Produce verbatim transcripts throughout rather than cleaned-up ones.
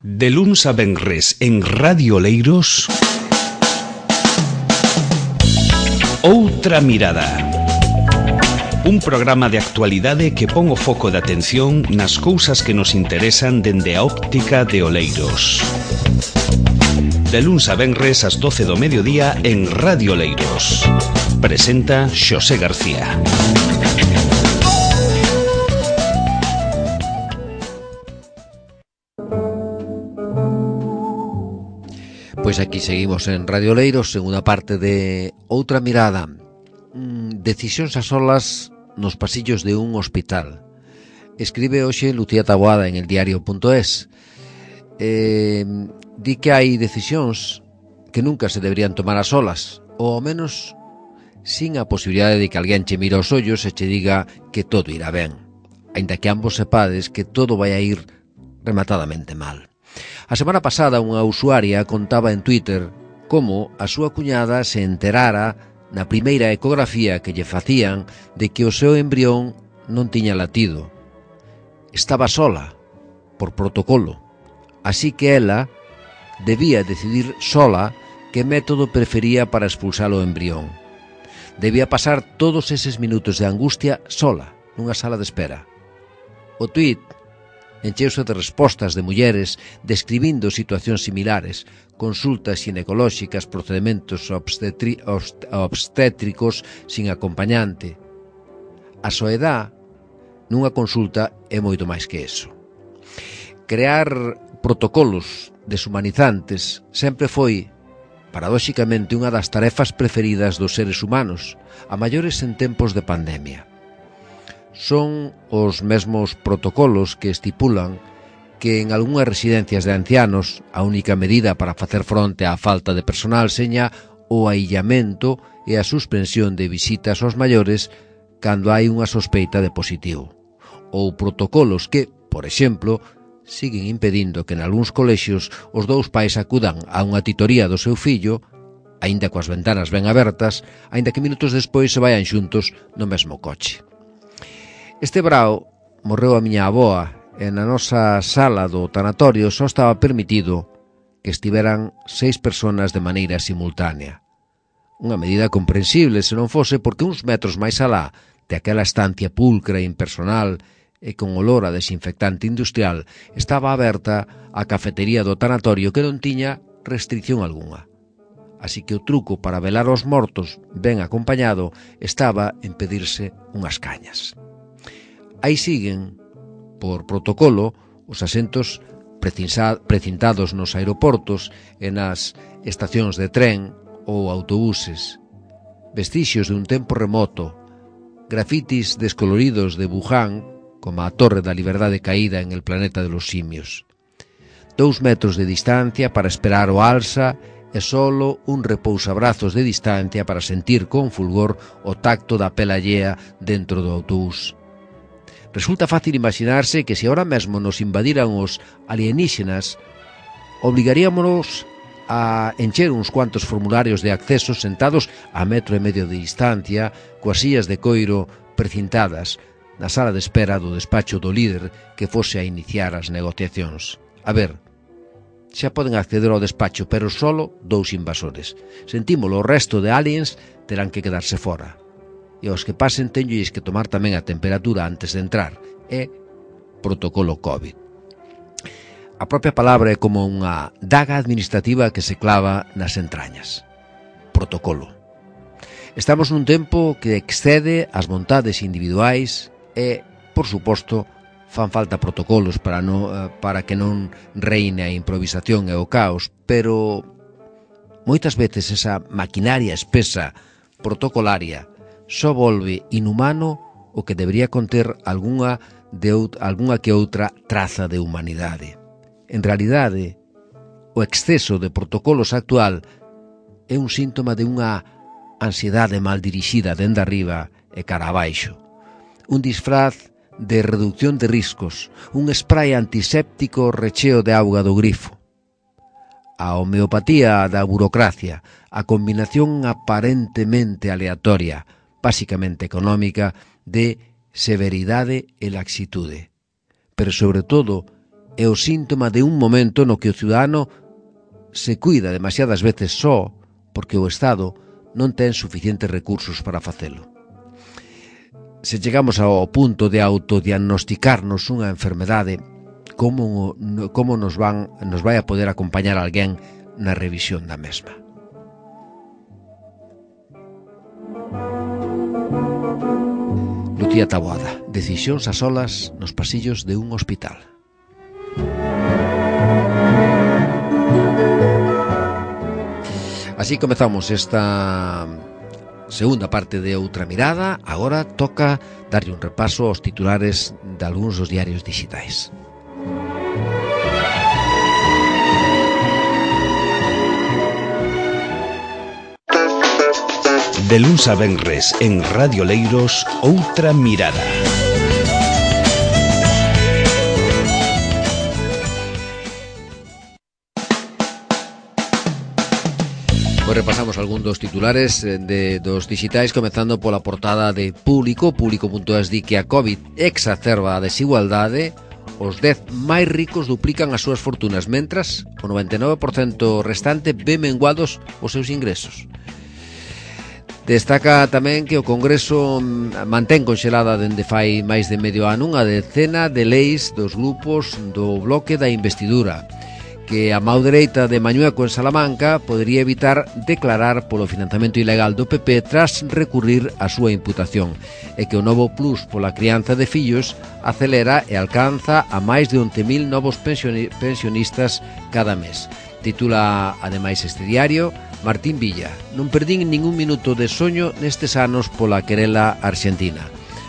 De luns a venres en Radio Oleiros, Outra Mirada. Un programa de actualidade que pon o foco de atención nas cousas que nos interesan dende a óptica de Oleiros. De luns a venres ás doce do mediodía en Radio Oleiros. Presenta Xosé García. Pois aquí seguimos en Radio Oleiros, segunda parte de Outra Mirada. Mm, decisións a solas nos pasillos de un hospital. Escribe hoxe Lucía Taboada en el diario punto es. Eh, di que hai decisións que nunca se deberían tomar a solas, ou ao menos sin a posibilidade de que alguén che mire os ollos e che diga que todo irá ben, aínda que ambos sepades que todo vai a ir rematadamente mal. A semana pasada unha usuaria contaba en Twitter como a súa cuñada se enterara na primeira ecografía que lle facían de que o seu embrión non tiña latido. Estaba sola, por protocolo, así que ela debía decidir sola que método prefería para expulsar o embrión. Debía pasar todos eses minutos de angustia sola, nunha sala de espera. O tuit encheuse de respostas de mulleres describindo situacións similares, consultas ginecolóxicas, procedimentos obstetri- obstétricos sin acompañante. A soedad nunha consulta é moito máis que eso. Crear protocolos deshumanizantes sempre foi, paradóxicamente, unha das tarefas preferidas dos seres humanos, a maiores en tempos de pandemia. Son os mesmos protocolos que estipulan que en algunhas residencias de ancianos a única medida para facer fronte á falta de personal seña o aillamento e a suspensión de visitas aos maiores cando hai unha sospeita de positivo. Ou protocolos que, por exemplo, siguen impedindo que en algúns colexios os dous pais acudan a unha titoría do seu fillo, aínda coas ventanas ben abertas, aínda que minutos despois se vayan xuntos no mesmo coche. Este brao morreu a miña avoa e na nosa sala do tanatorio só estaba permitido que estiveran seis personas de maneira simultánea. Unha medida comprensible se non fose porque uns metros máis alá de aquela estancia pulcra e impersonal e con olor a desinfectante industrial estaba aberta a cafetería do tanatorio que non tiña restricción algunha. Así que o truco para velar os mortos ben acompañado estaba en pedirse unhas cañas. Aí siguen, por protocolo, os asentos precintados nos aeroportos e nas estacións de tren ou autobuses, vestixios de un tempo remoto, grafitis descoloridos de Wuhan, como a Torre da Liberdade caída en el planeta de los simios. Dous metros de distancia para esperar o alza e solo un repousabrazos de distancia para sentir con fulgor o tacto da pela allea dentro do autobús. Resulta fácil imaginarse que se ahora mesmo nos invadiran os alienígenas, obrigaríamos a encher uns cuantos formularios de acceso sentados a metro e medio de distancia, coas sillas de coiro precintadas, na sala de espera do despacho do líder que fose a iniciar as negociacións. A ver, xa poden acceder ao despacho, pero solo dous invasores. Sentímolo, o resto de aliens terán que quedarse fora. E aos que pasen teñolles que tomar tamén a temperatura antes de entrar. É protocolo COVID. A propia palabra é como unha daga administrativa que se clava nas entrañas. Protocolo. Estamos nun tempo que excede as vontades individuais e, por suposto, fan falta protocolos para, no, para que non reine a improvisación e o caos, pero moitas veces esa maquinaria espesa protocolaria só volve inhumano o que debería conter algunha, de out, algunha que outra traza de humanidade. En realidade, o exceso de protocolos actual é un síntoma de unha ansiedade mal dirixida dende arriba e cara abaixo. Un disfraz de reducción de riscos, un spray antiséptico recheo de auga do grifo. A homeopatía da burocracia, a combinación aparentemente aleatoria, basicamente económica, de severidade e laxitude, pero sobre todo é o síntoma de un momento no que o ciudadano se cuida demasiadas veces só porque o Estado non ten suficientes recursos para facelo. Se chegamos ao punto de autodiagnosticarnos unha enfermedade, como, como nos, van, nos vai a poder acompañar alguén na revisión da mesma? Lucía Taboada, decisións a solas nos pasillos de un hospital. Así comezamos esta segunda parte de Outra Mirada. Agora toca darlle un repaso aos titulares de algúns dos diarios digitais. De luns a venres en Radio Leiros, Outra Mirada. Pois repasamos algún dos titulares de, dos digitais, comezando pola portada de Público. Público punto es di que a COVID exacerba a desigualdade. Os dez máis ricos duplican as súas fortunas, mentras o noventa e nove por cento restante ve menguados os seus ingresos. Destaca tamén que o Congreso mantén conxelada dende fai máis de medio ano unha decena de leis dos grupos do bloque da investidura, que a mão dereita de Mañueco en Salamanca podería evitar declarar polo financiamento ilegal do P P tras recurrir a súa imputación, e que o novo plus pola crianza de fillos acelera e alcanza a máis de once mil novos pensionistas cada mes. Titula ademais este diario Martín Villa: non perdín ningún minuto de soño nestes anos pola querela arxentina.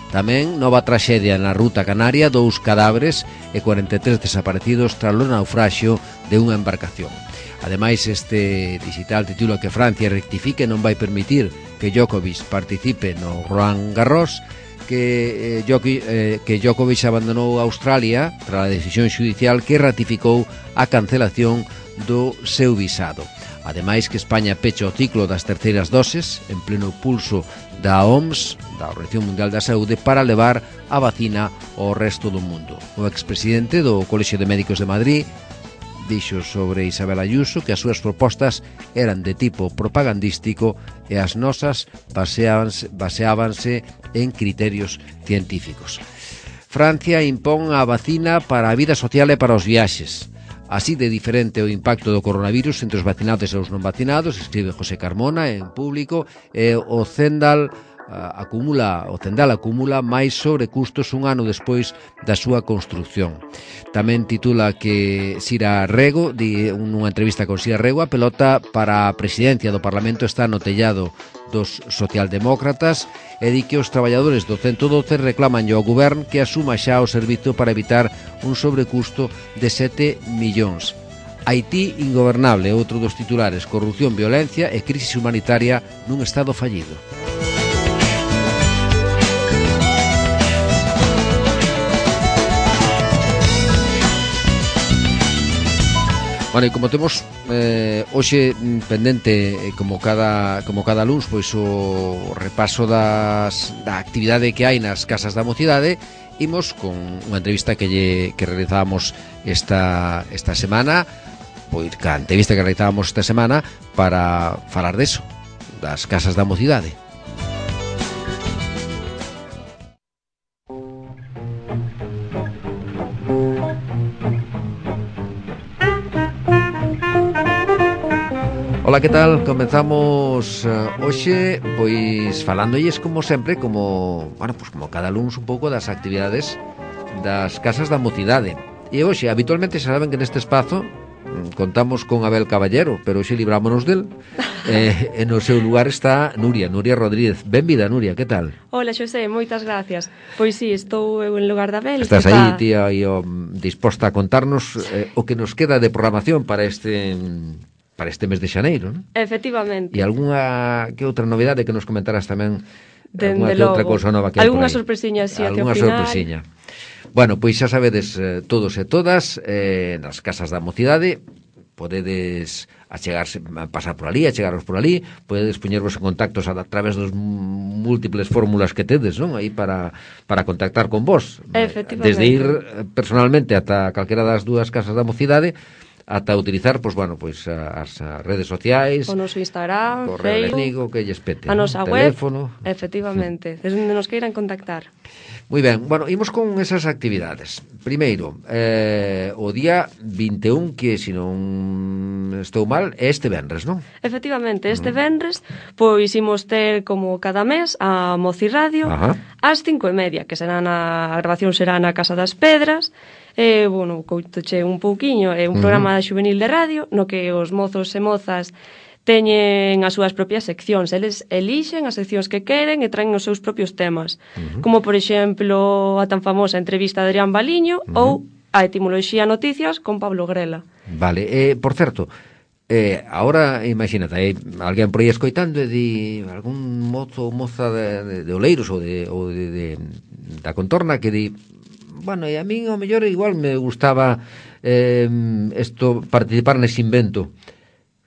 Tamén nova traxedia na ruta canaria, dous cadáveres e cuarenta e tres desaparecidos tras o naufraxio de unha embarcación. Ademais, este digital titula que Francia rectifique e non vai permitir que Djokovic participe no Roland Garros, que, eh, Djokovic, eh, que Djokovic abandonou Australia tras a decisión xudicial que ratificou a cancelación do seu visado. Ademais, que España pecha o ciclo das terceiras doses en pleno pulso da O M S, da Organización Mundial da Saúde, para levar a vacina ao resto do mundo. O expresidente do Colexio de Médicos de Madrid dixo sobre Isabel Ayuso que as súas propostas eran de tipo propagandístico e as nosas baseábanse, baseábanse en criterios científicos. Francia impón a vacina para a vida social e para os viaxes. Así de diferente o impacto do coronavirus entre os vacinados e os non vacinados, escribe José Carmona en Público, e o Zendal uh, acumula, o Zendal acumula máis sobrecustos un ano despois da súa construcción. Tamén titula que Sira Rego, di nunha entrevista con Sira Rego, a pelota para a presidencia do Parlamento está no tellado dos socialdemócratas, e di que os traballadores do ciento doce reclaman ao Govern que asuma xa o servizo para evitar un sobrecusto de sete millóns. Haití ingobernable, outro dos titulares: corrupción, violencia e crisis humanitaria nun estado fallido. Bueno, e como temos eh, hoxe pendente, eh, como cada como cada luns, pois o repaso das, da actividade que hai nas casas da mocidade, imos con unha entrevista que lle, que realizábamos esta, esta semana, pois ca entrevista que realizábamos esta semana para falar deso, das casas da mocidade. Ola, que tal? Comenzamos uh, hoxe pois falándolles como sempre, como, bueno, pois como cada luns un pouco das actividades das casas da mocidade. E hoxe, habitualmente, xa saben que neste espazo contamos con Abel Caballero, pero hoxe librámonos del. eh, e no seu lugar está Nuria, Nuria Rodríguez. Benvida, Nuria, que tal? Hola, Xosé, moitas gracias. Pois sí, estou eu en lugar da Abel. Estás aí, tía, aí, oh, disposta a contarnos eh, o que nos queda de programación para este... para este mes de xaneiro, non? Efectivamente. E algunha que outra novidade que nos comentaras tamén? Algunha que outra cousa nova que hai por aí? Algunha sorpresiña, sí, que ao final. Algunha sorpresiña. Bueno, pois xa sabedes eh, todos e todas, eh, nas casas da mocidade, podedes achegarse, pasar por ali, achegaros por ali, podedes poñervos en contactos a, a través dos múltiples fórmulas que tedes, non? Aí para, para contactar con vos. Desde ir personalmente ata calquera das dúas casas da mocidade, ata utilizar, pois, bueno, pois, as, as redes sociais, o noso Instagram, correo electrónico, que lles pete, a nosa ¿no? web, teléfono. Efectivamente, desde onde nos queiran contactar. Moi ben, bueno, imos con esas actividades. Primeiro, eh, o día vinte e un, que se non estou mal, é este venres, non? Efectivamente, este venres, pois imos ter, como cada mes, a Moci Radio, Ajá. ás cinco e media, que será na, a grabación será na Casa das Pedras. E, bueno, coutoche un pouquiño, é un Uh-huh. programa juvenil de radio, no que os mozos e mozas teñen as súas propias seccións. Eles elixen as seccións que queren e traen os seus propios temas. Uh-huh. Como, por exemplo, a tan famosa entrevista de Adrián Baliño Uh-huh. ou a etimoloxía noticias con Pablo Grela. Vale, eh, por certo, eh, ahora, imagínate, hai alguén por aí escoitando e di algún mozo ou moza de, de, de Oleiros ou, de, ou de, de, da contorna que di, bueno, e a min ao mellor igual me gustaba eh, esto, participar nese invento.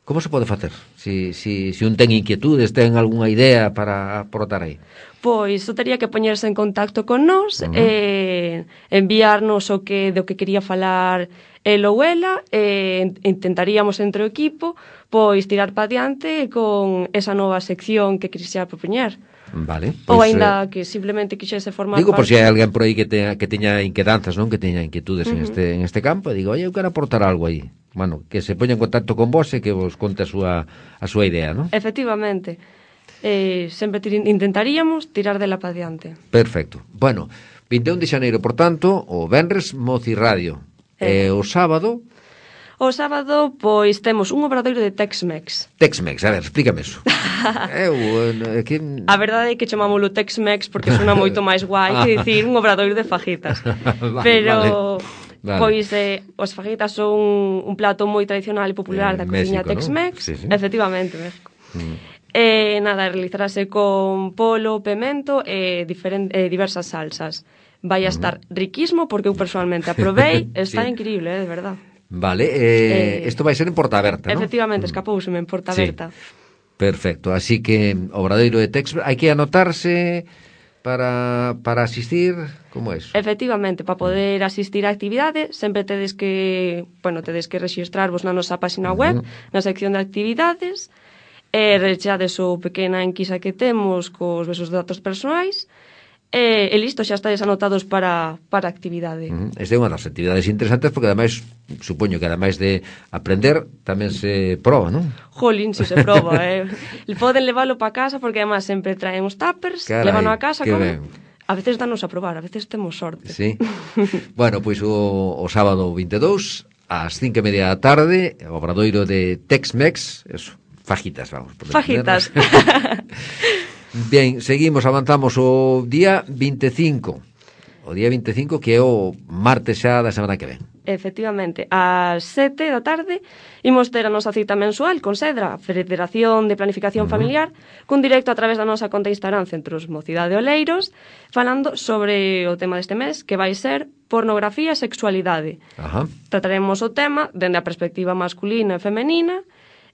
Como se pode facer? Si, si, si un ten inquietudes, ten algunha idea para aportar aí? Pois, só tería que poñerse en contacto con nós, Uh-huh. e enviarnos o que do que quería falar el ou ela, e intentaríamos entre o equipo pois tirar pa diante con esa nova sección que quixera propoñer. Vale. Ou Pois, aínda eh, que simplemente quixese formar digo, por parte... si hai alguén por aí que teña, que teña inquedanzas, non? Que teña inquietudes Uh-huh. en este en este campo, e digo, oye, eu quero aportar algo aí. Bueno, que se poña en contacto con vos e que vos conte a súa, a súa idea, non? Efectivamente. Eh, sempre tir- intentaríamos tirar dela pa diante. Perfecto. Bueno, vinte e un de xaneiro, por tanto, o venres Moci Radio. Eh. E o sábado, O sábado, pois, temos un obradoiro de Tex-Mex. Tex-Mex. A ver, explícame eso. Eu, eh, que... A verdade é que chamámoslo Tex-Mex porque sona moito máis guai que dicir un obradoiro de fajitas. Vale, Pero, vale. Vale. pois, eh, os fajitas son un plato moi tradicional e popular En da cociña México, Tex-Mex. ¿no? Sí, sí. Efectivamente, México. Mm. E, nada, realizarase con polo, pemento e diferen, eh, diversas salsas. Vai a estar riquísimo porque eu personalmente aprobei, está Sí. increíble, eh, de verdad. Vale, eh, isto Eh, vai ser en Porta Aberta, non? Efectivamente, escapouseme en Porta Sí. Aberta. Perfecto, así que obradoiro de Tex, hai que anotarse para, para asistir, como é eso? Efectivamente, para poder asistir á actividade, sempre tedes que, bueno, tedes que rexistrarvos na nosa página web, Ujú. na sección de actividades, e rechades o pequena enquisa que temos cos vosos datos persoais, e, e listo, xa estades anotados para, para a actividade. Uh-huh. Esta é unha das actividades interesantes porque ademais, supoño que ademais de aprender, tamén se proba, non? Jolín, si se proba, eh. Poden leválo para casa porque además sempre traen os tuppers, Carai, levan a casa, que comen. ben. A veces danos a probar, a veces temos sorte. Sí. Bueno, pois o, o sábado vinte e dous ás cinco e media da tarde, o obradoiro de Tex-Mex, eso, fajitas, vamos. Por Fajitas. Bien, seguimos, avanzamos o día vinte e cinco. O día vinte e cinco, que é o martes xa da semana que ven. Efectivamente, ás sete da tarde imos ter a nosa cita mensual con Sedra, Federación de Planificación Uh-huh. Familiar, cun directo a través da nosa conta de Instagram Centros Mocidade Oleiros, falando sobre o tema deste mes, que vai ser pornografía e sexualidade. Ajá. Trataremos o tema dende a perspectiva masculina e femenina,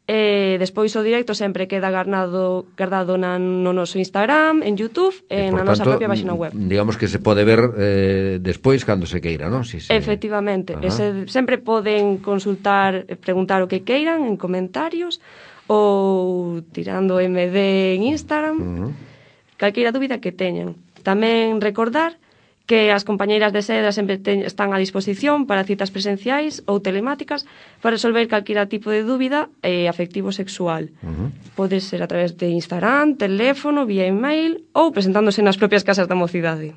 e despois o directo sempre queda guardado, guardado na, no noso Instagram, en YouTube e, E, na por nosa tanto, propia página web. digamos que se pode ver eh, despois cando se queira, non? Si se... Efectivamente, Ajá. ese, sempre poden consultar, e preguntar o que queiran en comentarios ou tirando M D en Instagram, Uh-huh. calqueira dúbida que teñan. Tamén recordar que as compañeiras de Sedra sempre te, están a disposición para citas presenciais ou telemáticas para resolver calquera tipo de dúbida eh, afectivo sexual. Uh-huh. Pode ser a través de Instagram, teléfono, vía email ou presentándose nas propias casas da mocidade.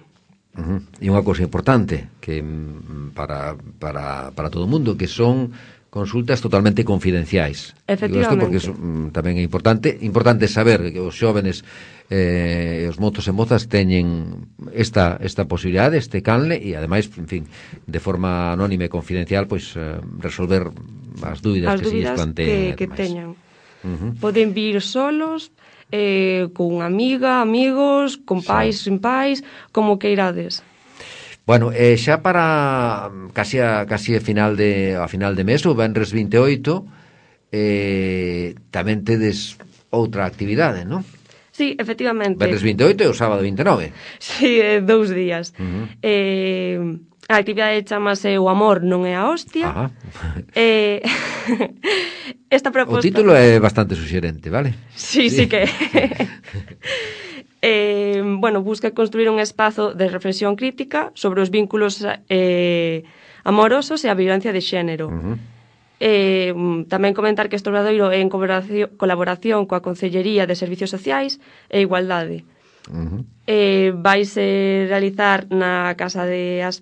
Uh-huh. E unha cousa importante que mm, para, para, para todo o mundo, que son consultas totalmente confidenciais. Digo isto porque eso, mm, tamén é importante importante saber que os xóvenes eh, os mozos e mozas teñen esta, esta posibilidade, este canle, e ademais, en fin, de forma anónima e confidencial, pois eh, resolver as dúbidas As que se lles dúbidas planteen. que, que teñan. Uh-huh. Poden vir solos, eh, con amiga, amigos, con pais, Sí. sin pais, como queirades. Bueno, eh, xa para casi a, casi a final de a final de mes, o venres vinte e oito, eh, tamén tedes outra actividade, non? Sí, efectivamente. Venres vinte e oito e o sábado vinte e nove. Sí, eh, dous días. Uh-huh. Eh, a actividade chamase O amor non é a hostia. Ajá. Eh, esta proposta... O título é bastante suxerente, vale? Sí, sí, sí que... eh, bueno, busca construir un espazo de reflexión crítica sobre os vínculos eh, amorosos e a violencia de xénero. Uh-huh. Eh, tamén comentar que este obradoiro é en colaboración, colaboración coa Consellería de Servicios Sociais e Igualdade. Uh-huh. Eh, vaise realizar na Casa de As...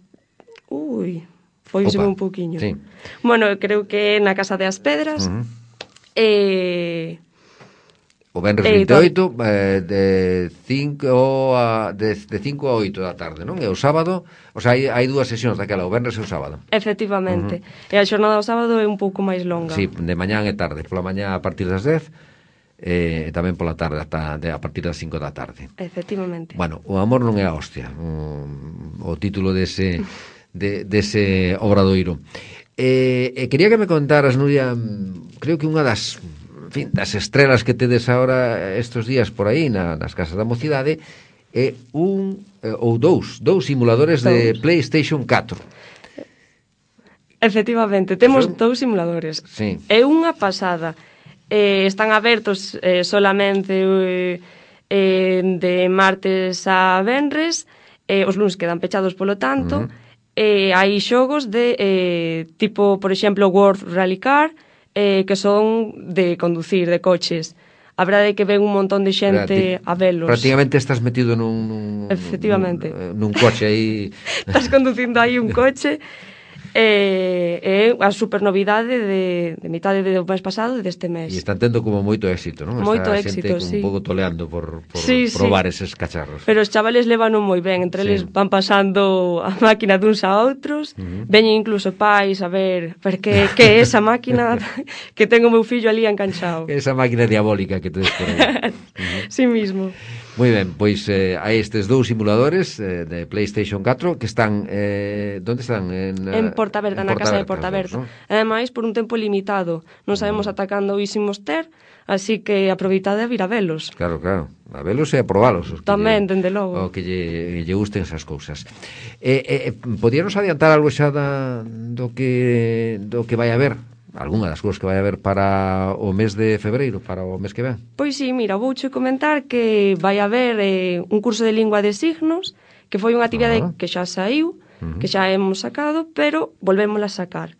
Ui, foiseme un pouquiño. Sí. Bueno, creo que é na Casa de As Pedras. Uh-huh. Eh... O venres Eh, vinte e oito eh, de cinco a de, de cinco a oito da tarde, non? E o sábado, o sea, hai, hai dúas sesións daquela, o venres e o sábado. Efectivamente. Uh-huh. E a xornada do sábado é un pouco máis longa. Sí, de mañán e tarde, pola mañá a partir das dez e tamén pola tarde ata de, a partir das cinco da tarde. Efectivamente. Bueno, o amor non é a hostia, o, o título dese de dese obradoiro. Eh, e quería que me contaras, Nuria, creo que unha das en fin, das estrelas que tedes agora estes días por aí na, nas casas da mocidade é un eh, ou dous, dous simuladores dous. de PlayStation catro. Efectivamente, temos Eso... dous simuladores. Sí. É unha pasada. Eh, están abertos eh, solamente eh, eh, de martes a venres, eh, os luns quedan pechados polo tanto. Uh-huh. Eh, hai xogos de eh, tipo, por exemplo, World Rally Car, eh, que son de conducir, de coches. A verdade é que ven un montón de xente a velos. Prácticamente estás metido nun, nun, Efectivamente. nun, nun coche aí. Estás conducindo aí un coche. É eh, eh, a super novidade de, de mitade do mes pasado e deste mes. E están tendo como moito éxito, non? Moito Está éxito, xente sí. un pouco toleando por, por sí, probar sí. eses cacharros. Pero os chavales levan moi ben, entre sí. eles van pasando a máquina duns a outros, uh-huh. veñen incluso pais a ver, ver que, que é esa máquina que ten o meu fillo ali enganchado. Esa máquina diabólica que tedes por aí. Uh-huh. Sí mismo. Moi ben, pois eh, hai estes dous simuladores eh, de PlayStation catro que están, eh, onde están? En, en Portaberta, en na casa de Portaberta. ¿No? Ademais, por un tempo limitado. Non sabemos ata cando o ísimos ter, así que aproveitade a vir a velos. Claro, claro, a velos e a probalos. Os Tamén, lle, dende logo. O que lle, lle gusten esas cousas. Eh, eh, podíanos adiantar algo xa da, do que do que vai haber? Algúna das cousas que vai haber para o mes de febreiro, para o mes que ven? Pois sí, mira, vouche comentar que vai haber eh, un curso de lingua de signos, que foi unha actividade uh-huh. que xa saiu, uh-huh. que xa hemos sacado, pero volvémola a sacar.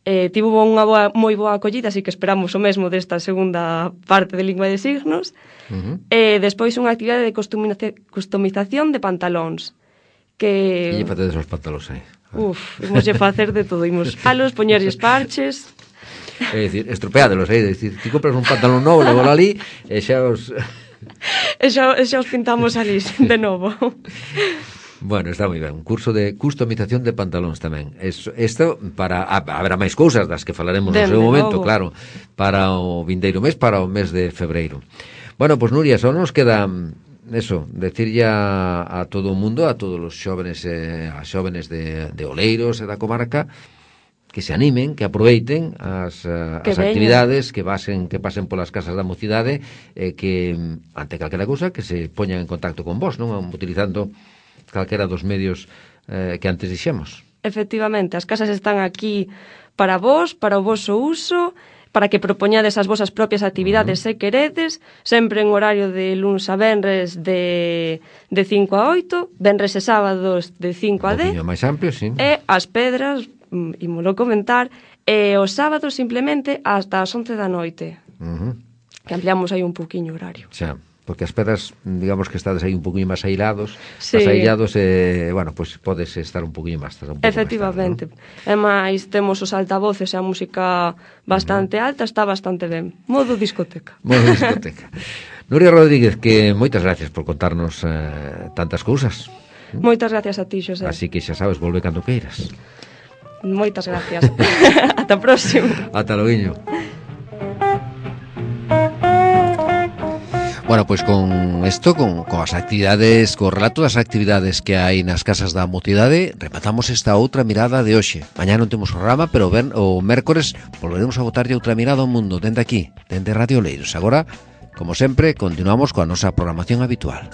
Eh, tivo unha boa, moi boa acollida, así que esperamos o mesmo desta segunda parte de lingua de signos. Uh-huh. Eh, despois unha actividade de customización de pantalóns. Que... Que lle facedes os pantalóns aí? Uf, imos lle facer de todo, imos alos, poñerlles parches... É dicir, estropeádelos, é dicir, ti compras un pantalón novo, levo ali e xa os... e xa, xa os pintamos ali de novo. Bueno, está moi ben, un curso de customización de pantalóns tamén. Isto para, haberá máis cousas das que falaremos no seu momento, logo. Claro, para o vindeiro mes, para o mes de febreiro. Bueno, pois pues, Nuria, só nos queda eso, decirlle a, a todo o mundo, a todos os xóvenes e as xóvenes de, de Oleiros e da comarca, que se animen, que aproveiten as, as actividades, que pasen, que pasen polas casas da mocidade, e que, ante calquera cousa, que se poñan en contacto con vos, non? Utilizando calquera dos medios eh, que antes dixemos. Efectivamente, as casas están aquí para vos, para o voso uso, para que propoñades as vosas propias actividades uh-huh. se queredes, sempre en horario de luns a venres de, de cinco a oito, venres e sábados de cinco a dez, máis amplio, sí. E as pedras, ímolo comentar, e os sábados simplemente hasta as once da noite, uh-huh. que ampliamos aí un pouquiño o horario. Xa, porque as pedras, digamos que estades aí un pouquinho máis aislados, sí. máis aillados, e, bueno, pois pues podes estar un pouquinho máis tarde. Efectivamente. Tarde, ¿no? E máis temos os altavoces e a música bastante uh-huh. alta, está bastante ben. Modo discoteca. Modo discoteca. Nuria Rodríguez, que moitas gracias por contarnos eh, tantas cousas. Moitas gracias a ti, Xosé. Así que xa sabes, volve cando queiras. Moitas gracias. Ata próximo. Ata loguiño. Bueno, pois con isto, con, con as actividades, co relato das actividades que hai nas casas da mocidade, rematamos esta outra mirada de hoxe. Mañá non temos programa, pero ben, o mércores volveremos a botarlle outra mirada ao mundo dende aquí, dende Radio Oleiros. Agora, como sempre, continuamos coa nosa programación habitual.